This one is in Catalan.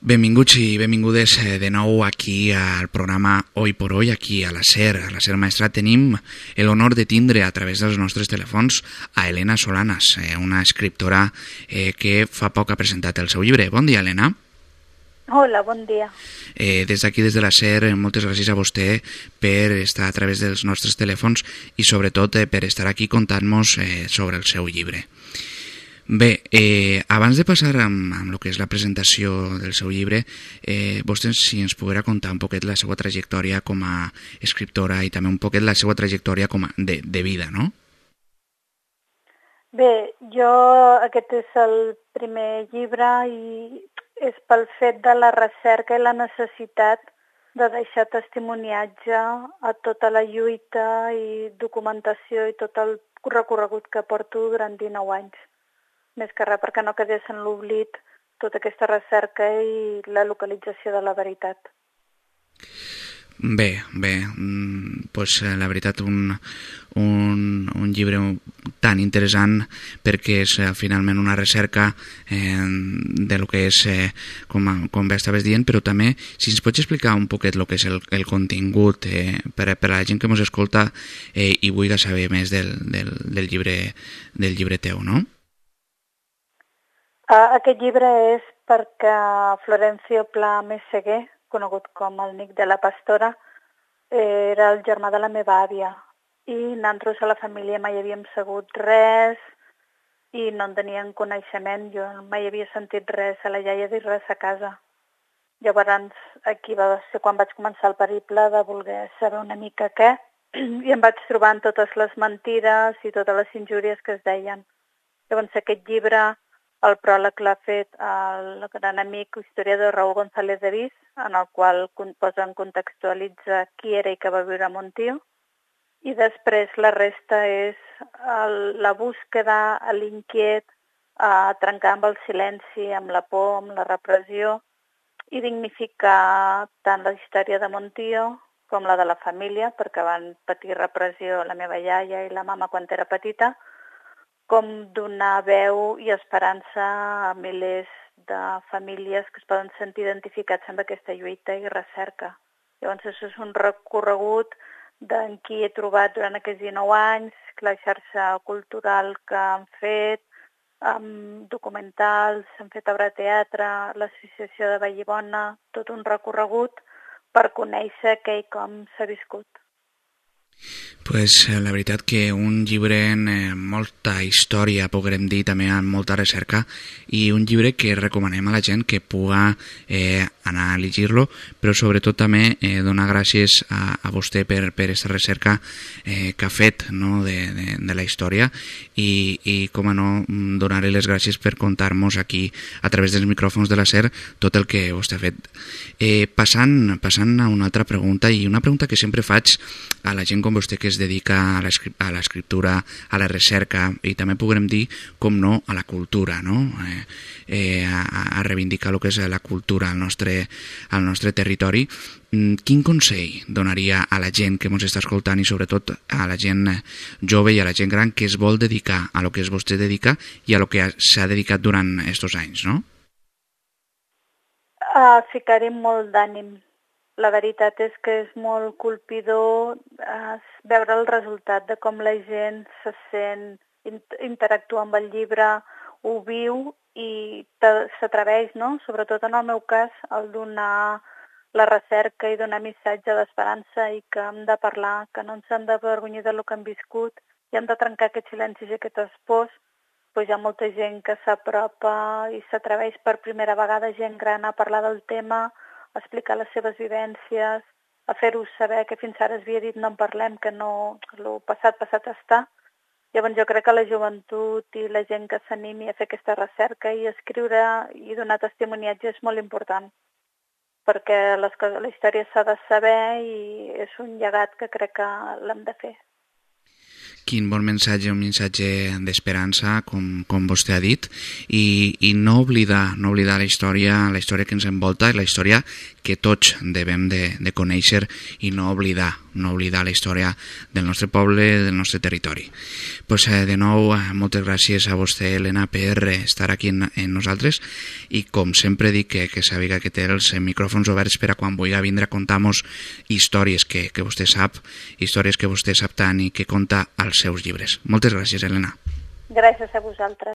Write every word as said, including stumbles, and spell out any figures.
Benvinguts i benvingudes de nou aquí al programa Hoy por Hoy, aquí a la SER. A la SER Maestrat tenim l'honor de tindre a través dels nostres telèfons a Elena Solanas, una escriptora eh, que fa poc ha presentat el seu llibre. Bon dia, Elena. Hola, bon dia. Eh, des d'aquí, des de la SER, moltes gràcies a vostè per estar a través dels nostres telèfons i sobretot eh, per estar aquí contant-nos eh, sobre el seu llibre. Bé, eh, abans de passar amb, amb el que és la presentació del seu llibre, eh, vostè si ens poguera contar un poquet la seva trajectòria com a escriptora i també un poquet la seva trajectòria com a de, de vida, no? Bé, jo aquest és el primer llibre i és pel fet de la recerca i la necessitat de deixar testimoniatge a tota la lluita i documentació i tot el recorregut que porto durant dinou anys. Més que res perquè no quedés en l'oblit tota aquesta recerca i la localització de la veritat. Bé, bé, doncs la veritat un, un, un llibre tan interessant perquè és eh, finalment una recerca eh, de lo que és, eh, com, com bé estaves dient, però també si ens pots explicar un poquet el que és el, el contingut eh, per, per a la gent que ens escolta eh, i vulgui saber més del, del, del, llibre, del llibre teu, no? Uh, aquest llibre és perquè Florencio Pla Meseguer, conegut com el Nic de la Pastora, era el germà de la meva àvia i nosaltres a la família mai havíem sabut res i no en tenien coneixement. Jo mai havia sentit res a la iaia dir res a casa. Llavors aquí va ser quan vaig començar el periple de voler saber una mica què i em vaig trobar en totes les mentires i totes les injúries que es deien. Llavors aquest llibre, el pròleg l'ha fet el gran amic historiador Raúl González de Vis, en el qual posa en contextualitza qui era i que va viure a Montió. I després la resta és el, la búsqueda, l'inquiet, a trencar amb el silenci, amb la por, amb la repressió i dignificar tant la història de Montió com la de la família, perquè van patir repressió la meva iaia i la mama quan era petita, com donar veu i esperança a milers de famílies que es poden sentir identificats amb aquesta lluita i recerca. Llavors, això és un recorregut d'en qui he trobat durant aquests dinou anys, la xarxa cultural que han fet, amb documentals, han fet obra de teatre, l'associació de Vallibona, tot un recorregut per conèixer què i com s'ha viscut. Pues la veritat que un llibre amb eh, molta història, podrem dir, també amb molta recerca, i un llibre que recomanem a la gent que puga eh, anar a llegir-lo, però sobretot també eh, donar gràcies a, a vostè per aquesta recerca eh, que ha fet, no, de, de, de la història i, i com a no, donar-li les gràcies per contar-nos aquí a través dels micròfons de la SER tot el que vostè ha fet. Eh, passant, passant a una altra pregunta, i una pregunta que sempre faig a la gent com vostè que es dedica a l'escriptura, a la recerca i també podrem dir, com no, a la cultura, no? Eh, eh, a, a reivindicar el que és la cultura al nostre, al nostre territori. Quin consell donaria a la gent que ens està escoltant i sobretot a la gent jove i a la gent gran que es vol dedicar a lo que es vostè dedica i a lo que s'ha dedicat durant aquests anys, no? Uh, ficar-hi molt d'ànim. La veritat és que és molt colpidor eh, veure el resultat de com la gent se sent, interactua amb el llibre, ho viu i s'atreveix, no? Sobretot en el meu cas, el donar la recerca i donar missatge d'esperança i que hem de parlar, que no ens hem d'avergonyir del que hem viscut i hem de trencar aquests silencis i aquestes pors. Pues hi ha molta gent que s'apropa i s'atreveix per primera vegada, gent gran, a parlar del tema, a explicar les seves vivències, a fer-ho saber que fins ara es havia dit no en parlem, que no, el passat passat està. Llavors jo crec que la joventut i la gent que s'animi a fer aquesta recerca i escriure i donar testimoniatge és molt important, perquè les coses, la història s'ha de saber i és un llegat que crec que l'hem de fer. Quin bon missatge, un missatge d'esperança, com, com vostè ha dit, i, i no oblidar, no oblidar la història, la història que ens envolta i la història que tots devem de, de conèixer i no oblidar, no oblidar la història del nostre poble, del nostre territori. Pues, eh, de nou, eh, moltes gràcies a vostè, Helena, per estar aquí en, en nosaltres, i com sempre dic que, que sàpiga que té els micròfons oberts per a quan vulgui vindre a contar-nos històries que, que vostè sap, històries que vostè sap tant i que conta als seus llibres. Moltes gràcies, Helena. Gràcies a vosaltres.